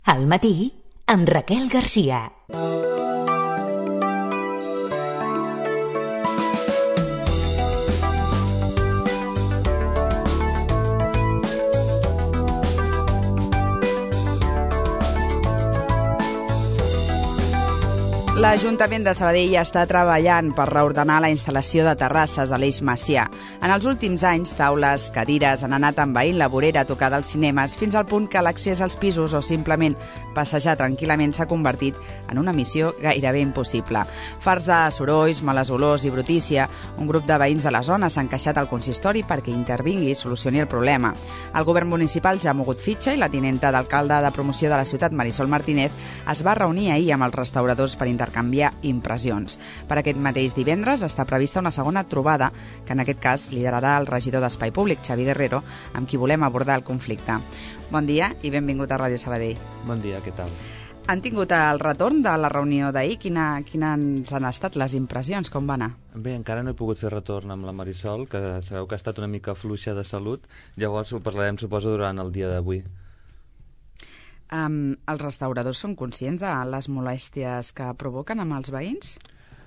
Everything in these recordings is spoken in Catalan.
Al matí, amb Raquel Garcia. L'Ajuntament de Sabadell està treballant per reordenar la instal·lació de terrasses a l'Eix Macià. En els últims anys, taules, cadires han anat envaint la vorera a tocar dels cinemes fins al punt que l'accés als pisos o simplement passejar tranquil·lament s'ha convertit en una missió gairebé impossible. Farts de sorolls, males olors i brutícia, un grup de veïns de la zona s'han queixat al consistori perquè intervingui i solucioni el problema. El govern municipal ja ha mogut fitxa i la tinenta d'alcalde de promoció de la ciutat, Marisol Martínez, es va reunir ahir amb els restauradors per intercanviar impressions. Per aquest mateix divendres està prevista una segona trobada, que en aquest cas liderarà el regidor d'Espai Públic, Xavi Guerrero, amb qui volem abordar el conflicte. Bon dia i benvingut a Ràdio Sabadell. Bon dia, què tal? Han tingut el retorn de la reunió d'ahir? Quines han estat les impressions? Com va anar? Bé, encara no he pogut fer retorn amb la Marisol, que sabeu que ha estat una mica fluixa de salut, llavors ho parlarem, suposo, durant el dia d'avui. Els restauradors són conscients de les molèsties que provoquen amb els veïns?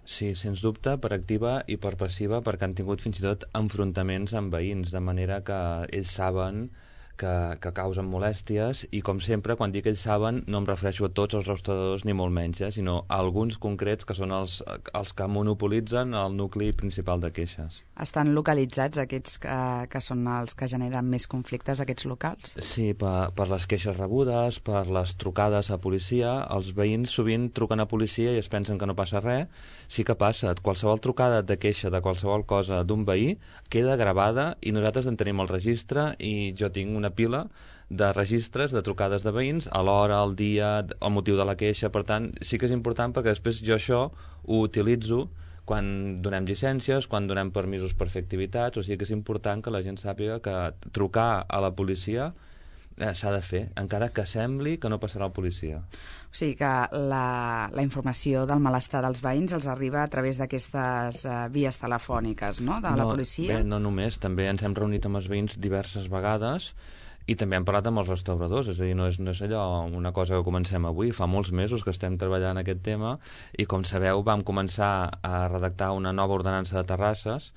Sí, sens dubte, per activa i per passiva, perquè han tingut fins i tot enfrontaments amb veïns, de manera que ells saben que causen molèsties i, com sempre, quan dic ells saben, no em refereixo a tots els restauradors ni molt menys, sinó a alguns concrets que són els que monopolitzen el nucli principal de queixes. Estan localitzats aquests que són els que generen més conflictes, aquests locals? Sí, per les queixes rebudes, per les trucades a policia. Els veïns sovint truquen a policia i es pensen que no passa res. Sí que passa. Qualsevol trucada de queixa de qualsevol cosa d'un veí queda gravada i nosaltres en tenim el registre i jo tinc una pila de registres de trucades de veïns a l'hora, al dia, el motiu de la queixa. Per tant, sí que és important perquè després jo això ho utilitzo quan donem llicències, quan donem permisos per fer activitats, o sigui que és important que la gent sàpiga que trucar a la policia s'ha de fer, encara que sembli que no passarà la policia. O sigui que la informació del malestar dels veïns els arriba a través d'aquestes vies telefòniques, no?, de la policia? Bé, no només, també ens hem reunit amb els veïns diverses vegades i també hem parlat amb els restauradors, és a dir, no és allò una cosa que comencem avui, fa molts mesos que estem treballant aquest tema i, com sabeu, vam començar a redactar una nova ordenança de terrasses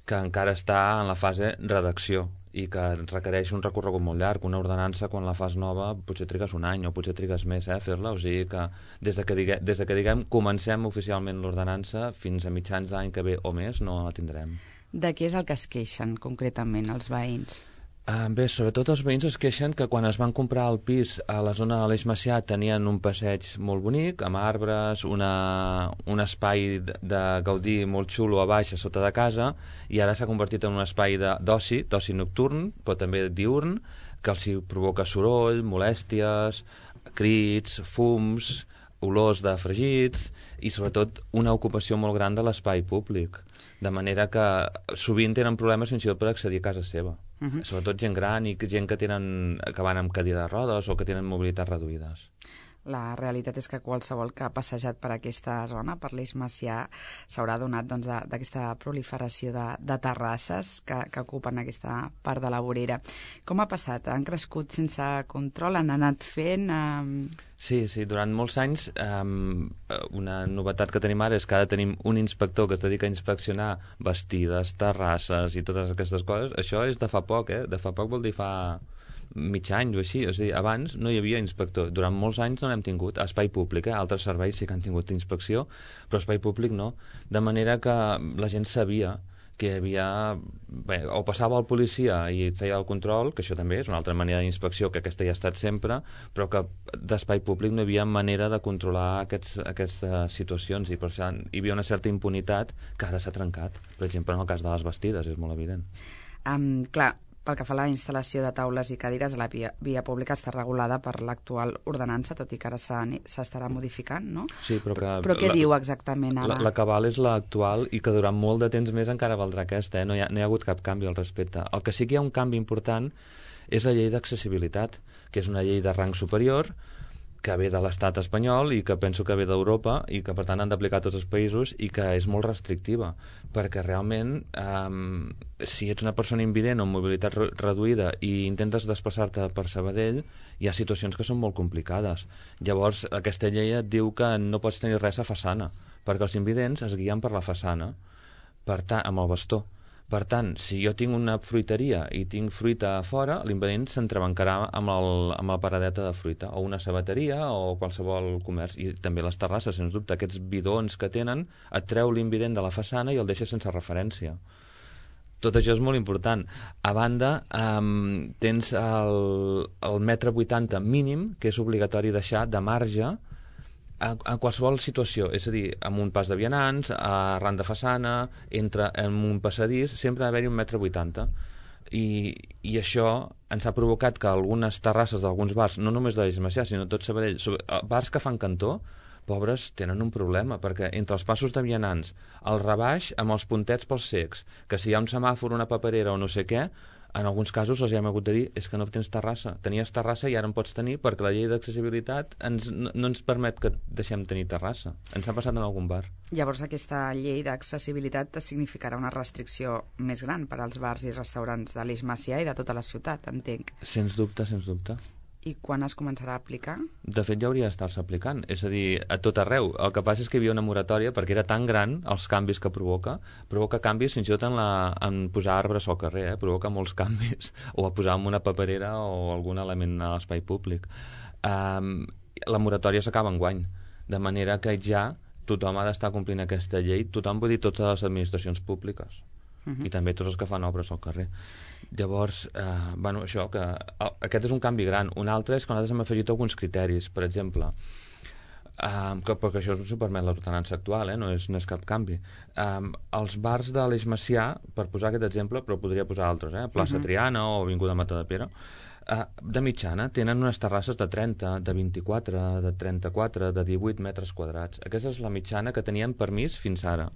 que encara està en la fase redacció i que requereix un recorregut molt llarg. Una ordenança, quan la fas nova, potser trigues un any o potser trigues més fer-la, o sigui que des que diguem comencem oficialment l'ordenança fins a mitjans d'any que ve o més no la tindrem. De què és el que es queixen concretament els veïns? Bé, sobretot els veïns es queixen que quan es van comprar el pis a la zona de l'Eix Macià tenien un passeig molt bonic, amb arbres, un espai de gaudir molt xulo a baix, a sota de casa, i ara s'ha convertit en un espai d'oci nocturn, però també diurn, que els provoca soroll, molèsties, crits, fums, olors de fregits i, sobretot, una ocupació molt gran de l'espai públic, de manera que sovint tenen problemes fins i tot per accedir a casa seva. Sobretot gent gran i gent que van amb cadira de rodes o que tenen mobilitat reduïdes. La realitat és que qualsevol que ha passejat per aquesta zona, per l'Eix Macià, s'haurà adonat d'aquesta proliferació de terrasses que ocupen aquesta part de la vorera. Com ha passat? Han crescut sense control? Han anat fent? Sí, durant molts anys una novetat que tenim ara és que ara tenim un inspector que es dedica a inspeccionar bastides, terrasses i totes aquestes coses. Això és de fa poc, de fa poc vol dir fa mig any o així, és a dir, abans no hi havia inspector, durant molts anys no n'hem tingut. A Espai Públic, altres serveis sí que han tingut inspecció, però Espai Públic no, de manera que la gent sabia que hi havia... Bé, o passava el policia i feia el control, que això també és una altra manera d'inspecció, que aquesta ja ha estat sempre, però que d'Espai Públic no hi havia manera de controlar aquestes situacions i per això hi havia una certa impunitat que ara s'ha trencat. Per exemple, en el cas de les bastides, és molt evident. Clar, pel que fa a la instal·lació de taules i cadires, la via pública està regulada per l'actual ordenança, tot i que ara s'estarà modificant, no? Sí, però què diu exactament ara? La cabal és l'actual i que durant molt de temps més encara valdrà aquesta, no hi ha hagut cap canvi al respecte. El que sí que hi ha un canvi important és la llei d'accessibilitat, que és una llei de rang superior, que ve de l'estat espanyol i que penso que ve d'Europa i que per tant han d'aplicar tots els països i que és molt restrictiva, perquè realment si ets una persona invident o amb mobilitat reduïda i intentes desplaçar-te per Sabadell, hi ha situacions que són molt complicades. Llavors aquesta llei et diu que no pots tenir res a façana, perquè els invidents es guien per la façana, per tant, amb el bastó. Per tant, si jo tinc una fruiteria i tinc fruita a fora, l'invident s'entrebancarà amb la paradeta de fruita, o una sabateria o qualsevol comerç. I també les terrasses, sens dubte, aquests bidons que tenen, et treu l'invident de la façana i el deixa sense referència. Tot això és molt important. A banda, tens el metre 80 mínim, que és obligatori deixar de marge a qualsevol situació, és a dir, amb un pas de vianants, arran de façana, en un passadís, sempre ha d'haver-hi 1,80 m. I això ens ha provocat que algunes terrasses d'alguns bars, no només de l'Eix Macià, sinó tot Sabadell, bars que fan cantó, pobres, tenen un problema, perquè entre els passos de vianants, el rebaix amb els puntets pels cecs, que si hi ha un semàfor, una paperera o no sé què, en alguns casos els hem hagut de dir és que no tens terrassa, tenies terrassa i ara en pots tenir perquè la llei d'accessibilitat no ens permet que deixem tenir terrassa. Ens ha passat en algun bar. Llavors aquesta llei d'accessibilitat significarà una restricció més gran per als bars i restaurants de l'Eix Macià i de tota la ciutat, entenc. Sens dubte, sens dubte. I quan es començarà a aplicar? De fet, ja hauria d'estar-se aplicant. És a dir, a tot arreu. El que passa és que hi havia una moratòria perquè era tan gran els canvis que provoca canvis fins i tot en posar arbres al carrer, provoca molts canvis. O a posar en una paperera o algun element a l'espai públic. La moratòria s'acaba enguany, de manera que ja tothom ha d'estar complint aquesta llei, tothom, vull dir, totes les administracions públiques. I també tots els que fan obres al carrer. Llavors, això, que aquest és un canvi gran. Un altre és que nosaltres hem afegit alguns criteris, per exemple, perquè això s'ho permet l'ordenança actual, no és cap canvi. Els bars de l'Eix Macià, per posar aquest exemple, però podria posar altres, plaça Triana o Avinguda Matadepera, de mitjana tenen unes terrasses de 30, de 24, de 34, de 18 metres quadrats. Aquesta és la mitjana que tenien permís fins ara.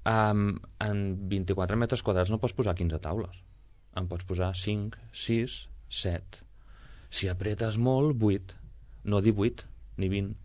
En 24 metres quadrats no pots posar 15 taules. En pots posar 5, 6, 7. Si apretes molt, 8. No 18, ni 20.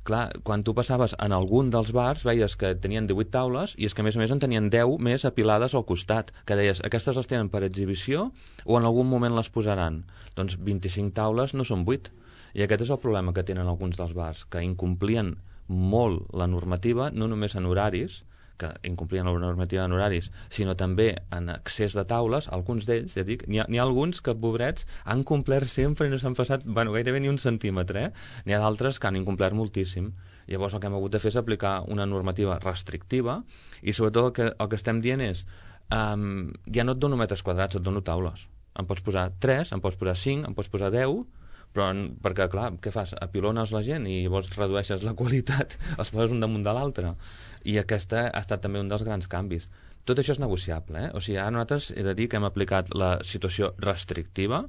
Clar, quan tu passaves en algun dels bars, veies que tenien 18 taules i és que a més en tenien 10 més apilades al costat, que deies, aquestes les tenen per exhibició o en algun moment les posaran? Doncs 25 taules no són 8. I aquest és el problema que tenen alguns dels bars, que incomplien molt la normativa, no només en horaris, que incomplien la normativa en horaris, sinó també en accés de taules, alguns d'ells, ja dic, n'hi ha alguns que, pobrets, han complert sempre i no s'han passat, gairebé ni un centímetre, N'hi ha d'altres que han incomplert moltíssim. Llavors el que hem hagut de fer és aplicar una normativa restrictiva i sobretot el que estem dient és ja no et dono metres quadrats, et dono taules. Em pots posar 3, em pots posar 5, em pots posar 10, però perquè, clar, què fas? Apilones la gent i llavors redueixes la qualitat, els poses un damunt de l'altre. I aquesta ha estat també un dels grans canvis. Tot això és negociable, O sigui, ara nosaltres he de dir que hem aplicat la situació restrictiva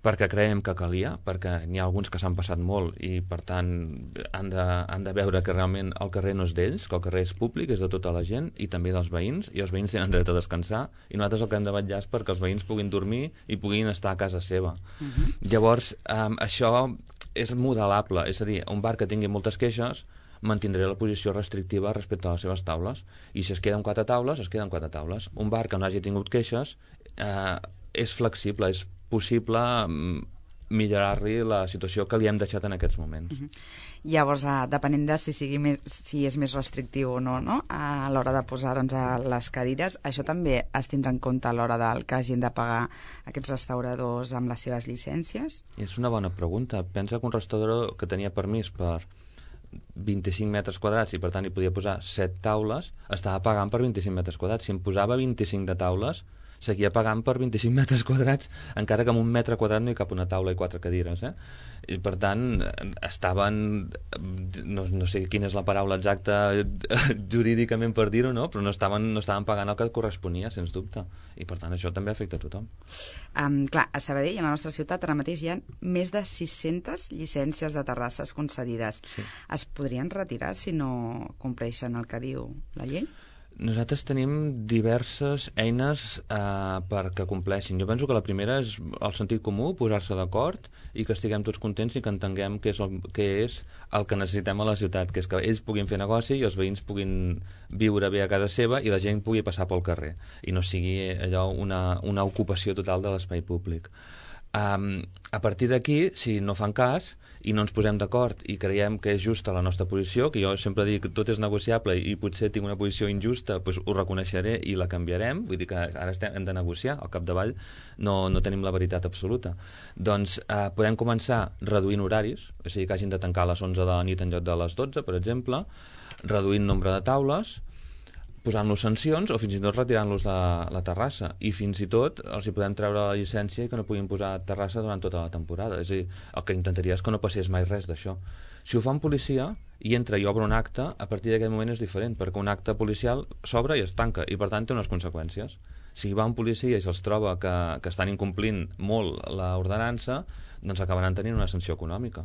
perquè creiem que calia, perquè n'hi ha alguns que s'han passat molt i, per tant, han de veure que realment el carrer no és d'ells, que el carrer és públic, és de tota la gent i també dels veïns, i els veïns tenen dret a descansar i nosaltres el que hem de vetllar és perquè els veïns puguin dormir i puguin estar a casa seva. Llavors, això és modelable, és a dir, un bar que tingui moltes queixes mantindré la posició restrictiva respecte a les seves taules i si es queden 4 taules, es queden 4 taules. Un bar que no hagi tingut queixes és flexible, és possible millorar-li la situació que li hem deixat en aquests moments. Llavors, depenent de si és més restrictiu o no, a l'hora de posar les cadires, això també es tindrà en compte a l'hora del que hagin de pagar aquests restauradors amb les seves llicències? És una bona pregunta. Pensa que un restaurador que tenia permís per 25 metres quadrats i per tant hi podia posar 7 taules, estava pagant per 25 metres quadrats. Si em posava 25 de taules, seguia pagant per 25 metres quadrats, encara que en un metre quadrat no hi cap una taula i 4 cadires. I per tant, estaven, no sé quina és la paraula exacta jurídicament per dir-ho, no? Però no estaven pagant el que corresponia, sens dubte. I per tant, això també afecta a tothom. Clar, a Sabadell, a la nostra ciutat, ara mateix hi ha més de 600 llicències de terrasses concedides. Sí. Es podrien retirar si no compleixen el que diu la llei? Nosaltres tenim diverses eines perquè compleixin. Jo penso que la primera és el sentit comú, posar-se d'acord i que estiguem tots contents i que entenguem què és el que necessitem a la ciutat, que és que ells puguin fer negoci i els veïns puguin viure bé a casa seva i la gent pugui passar pel carrer i no sigui allò una ocupació total de l'espai públic. A partir d'aquí, si no fan cas i no ens posem d'acord i creiem que és justa la nostra posició, que jo sempre dic que tot és negociable i potser tinc una posició injusta, doncs ho reconeixeré i la canviarem, vull dir que ara hem de negociar, al capdavall no tenim la veritat absoluta. Doncs podem començar reduint horaris, o sigui que hagin de tancar a les 11 de la nit en lloc de les 12, per exemple, reduint nombre de taules, posant-los sancions o fins i tot retirant-los de la terrassa, i fins i tot els hi podem treure la llicència i que no puguin posar terrassa durant tota la temporada. És a dir, el que intentaria és que no passés mai res d'això. Si ho fa un policia i entra i obre un acte, a partir d'aquest moment és diferent, perquè un acte policial s'obre i es tanca i per tant té unes conseqüències. Si va un policia i se'ls troba que estan incomplint molt l'ordenança, doncs acabaran tenint una sanció econòmica.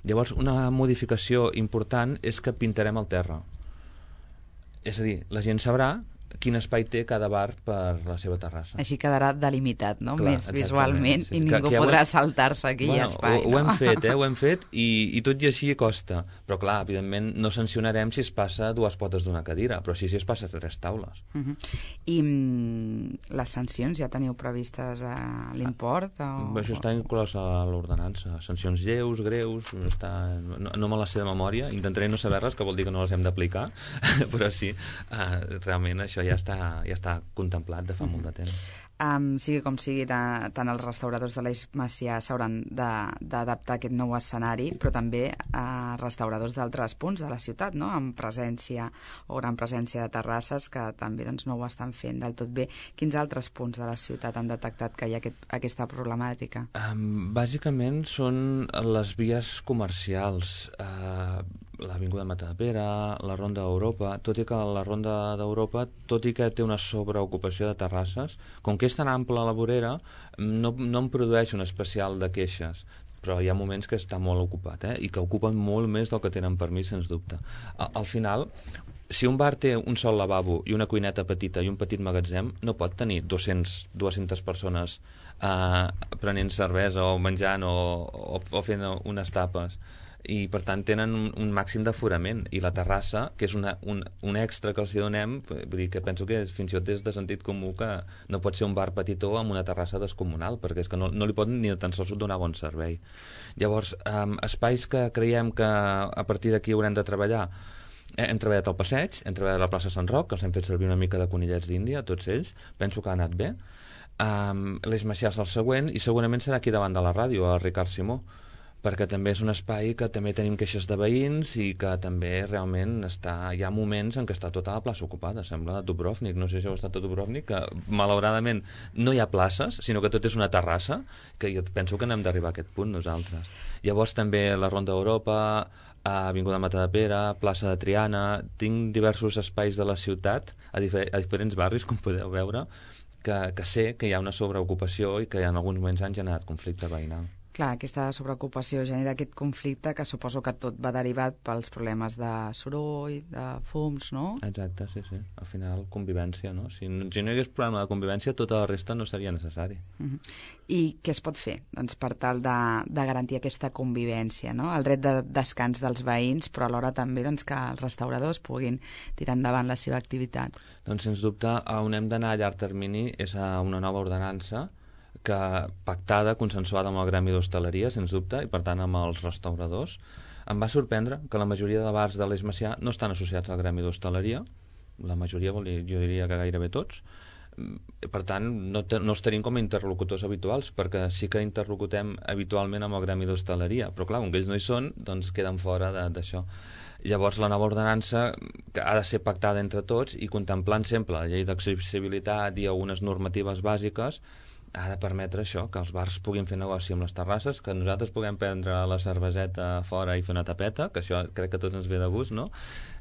Llavors, una modificació important és que pintarem el terra. És a dir, la gent sabrà quin espai té cada bar per la seva terrassa. Així quedarà delimitat, no? Clar, més visualment, sí. I ningú podrà saltar-se aquell espai. Ho hem fet, ho hem fet, i tot i així costa. Però clar, evidentment no sancionarem si es passa 2 potes d'una cadira, però sí si es passa 3 taules. I les sancions ja teniu previstes a l'import? Això està inclòs a l'ordenança. Sancions lleus, greus, no me les sé de memòria, intentaré no saber-les, que vol dir que no les hem d'aplicar, però sí, realment això ja està contemplat de fa molt de temps. Sigui com sigui, tant els restauradors de l'Eix Macià s'hauran d'adaptar a aquest nou escenari, però també restauradors d'altres punts de la ciutat, no? Amb presència o gran presència de terrasses que també doncs, no ho estan fent del tot bé. Quins altres punts de la ciutat han detectat que hi ha aquesta problemàtica? Bàsicament són les vies comercials, l'Avinguda Matadepera, la Ronda d'Europa, tot i que la Ronda d'Europa, tot i que té una sobreocupació de terrasses, com que és tan ampla la vorera, no em produeix un especial de queixes, però hi ha moments que està molt ocupat, i que ocupen molt més del que tenen permís, sens dubte. Al final, si un bar té un sol lavabo i una cuineta petita i un petit magatzem, no pot tenir 200 persones prenent cervesa o menjant o fent unes tapes, i per tant tenen un màxim d'aforament, i la terrassa, que és un extra que els donem, vull dir que penso que fins i tot és de sentit comú que no pot ser un bar petitó amb una terrassa descomunal, perquè és que no li poden ni tan sols donar bon servei. Llavors, espais que creiem que a partir d'aquí haurem de treballar, hem treballat al passeig, hem treballat a la plaça Sant Roc, que els hem fet servir una mica de conillets d'Índia, tots ells, penso que ha anat bé. L'Eix Macià és el següent, i segurament serà aquí davant de la ràdio, a Ricard Simó, perquè també és un espai que també tenim queixes de veïns i que també realment hi ha moments en què està tota la plaça ocupada, sembla Dubrovnik, no sé si heu estat a Dubrovnik, que malauradament no hi ha places, sinó que tot és una terrassa, que jo penso que n'hem d'arribar a aquest punt nosaltres. Llavors també la Ronda d'Europa, Avinguda Matadepera, plaça de Triana, tinc diversos espais de la ciutat, a diferents barris, com podeu veure, que sé que hi ha una sobreocupació i que en alguns moments han generat conflicte veïnal. Clar, aquesta sobreocupació genera aquest conflicte que suposo que tot va derivat pels problemes de soroll, de fums, no? Exacte, sí. Al final, convivència, no? Si no hi hagués problema de convivència, tota la resta no seria necessari. I què es pot fer, doncs, per tal de garantir aquesta convivència, no? El dret de descans dels veïns, però alhora també doncs, que els restauradors puguin tirar endavant la seva activitat. Doncs, sens dubte, on hem d'anar a llarg termini és a una nova ordenança pactada, consensuada amb el Gremi d'Hostaleria, sens dubte, i per tant amb els restauradors. Em va sorprendre que la majoria de bars de l'Eix Macià no estan associats al Gremi d'Hostaleria, la majoria, jo diria que gairebé tots. Per tant, no els tenim com a interlocutors habituals, perquè sí que interlocutem habitualment amb el Gremi d'Hostaleria, però clar, com que ells no hi són, doncs queden fora d'això. Llavors, la nova ordenança, que ha de ser pactada entre tots i contemplant sempre la llei d'accessibilitat i algunes normatives bàsiques, ha de permetre això, que els bars puguin fer negoci amb les terrasses, que nosaltres puguem prendre la cerveseta fora i fer una tapeta, que això crec que a tots ens ve de gust, no?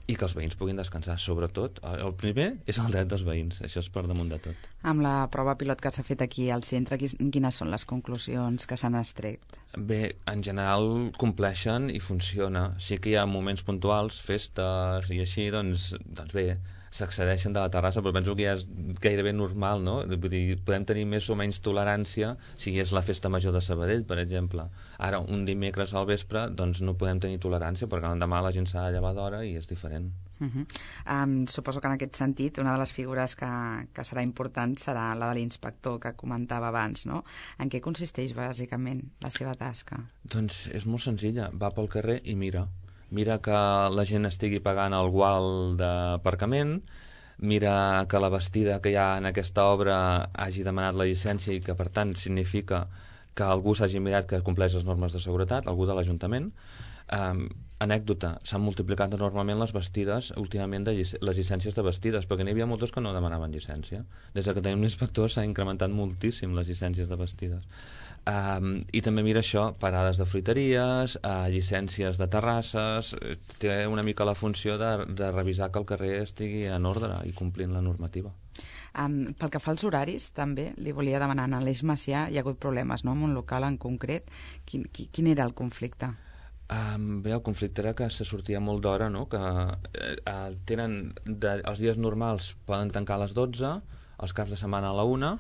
I que els veïns puguin descansar. Sobretot, el primer és el dret dels veïns, això és per damunt de tot. Amb la prova pilot que s'ha fet aquí al centre, quines són les conclusions que s'han extret? Bé, en general compleixen i funciona. Sí que hi ha moments puntuals, festes i així, doncs bé, s'accedeixen de la terrassa, però penso que ja és gairebé normal, no? Vull dir, podem tenir més o menys tolerància si és la festa major de Sabadell, per exemple. Ara, un dimecres al vespre, doncs no podem tenir tolerància, perquè l'endemà la gent s'ha de llevar d'hora i és diferent. Suposo que en aquest sentit una de les figures que serà important serà la de l'inspector que comentava abans, no? En què consisteix bàsicament la seva tasca? Doncs és molt senzilla, va pel carrer i mira que la gent estigui pagant el gual d'aparcament, mira que la bastida que hi ha en aquesta obra hagi demanat la llicència i que per tant significa que algú s'hagi mirat que compleix les normes de seguretat, algú de l'Ajuntament. Anècdota, s'han multiplicat enormement les bastides últimament les llicències de bastides, perquè n'hi havia moltes que no demanaven llicència. Des que tenim l'inspector s'ha incrementat moltíssim les llicències de bastides. I també mira això, parades de fruiteries, llicències de terrasses, té una mica la funció de revisar que el carrer estigui en ordre i complint la normativa. Pel que fa als horaris, també li volia demanar, a l'Eix Macià hi ha hagut problemes, no?, amb un local en concret. Quin era el conflicte? Bé, el conflicte era que se sortia molt d'hora, no? Que els dies normals poden tancar a les 12, els caps de setmana a la 1,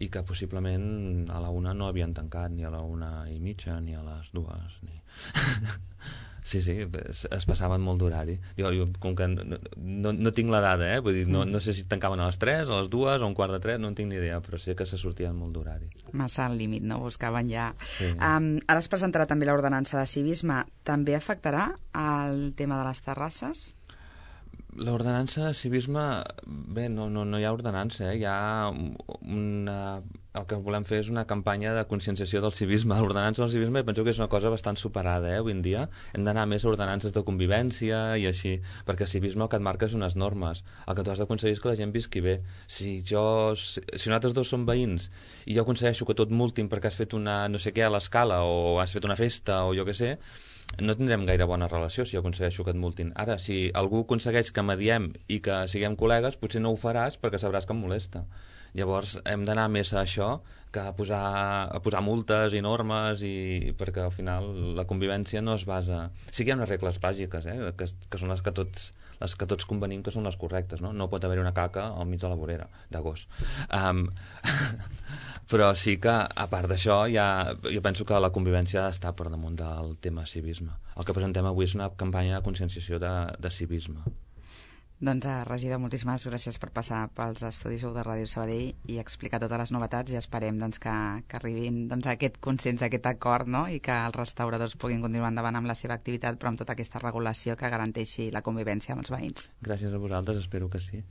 i que possiblement a la 1 no havien tancat, ni a la 1:30, ni a les 2, ni... Sí, es passaven molt d'horari. Jo com que no tinc la dada, vull dir, no sé si tancaven a les 3, a les 2, a un quart de 3, no en tinc ni idea, però sé que se sortien molt d'horari. Massa al límit, no? Buscaven ja... Sí. Ara es presentarà també l'ordenança de civisme. També afectarà el tema de les terrasses? L'ordenança de civisme, bé, no hi ha ordenança, hi ha el que volem fer és una campanya de conscienciació del civisme. L'ordenança del civisme penso que és una cosa bastant superada, avui en dia. Hem d'anar més a ordenances de convivència i així, perquè el civisme el que et marca és unes normes. El que tu has d'aconseguir és que la gent visqui bé. Si nosaltres dos som veïns i jo aconsegueixo que tot multin perquè has fet una no sé què a l'escala o has fet una festa o jo què sé, no tindrem gaire bona relació si aconsegueixo que et multin. Ara, si algú aconsegueix que mediem i que siguem col·legues, potser no ho faràs perquè sabràs que em molesta. Llavors hem d'anar més a això que a posar multes i normes, perquè al final la convivència no es basa... Sí que hi ha unes regles bàsiques, que són les que tots convenim que són les correctes, no? No pot haver-hi una caca al mig de la vorera de gos. Però sí que, a part d'això, jo penso que la convivència ha d'estar per damunt del tema civisme. El que presentem avui és una campanya de conscienciació de civisme. Doncs, regidor, moltíssimes gràcies per passar pels estudis de Ràdio Sabadell i explicar totes les novetats, i esperem que arribin a aquest consens, a aquest acord, no? I que els restauradors puguin continuar endavant amb la seva activitat, però amb tota aquesta regulació que garanteixi la convivència amb els veïns. Gràcies a vosaltres, espero que sí.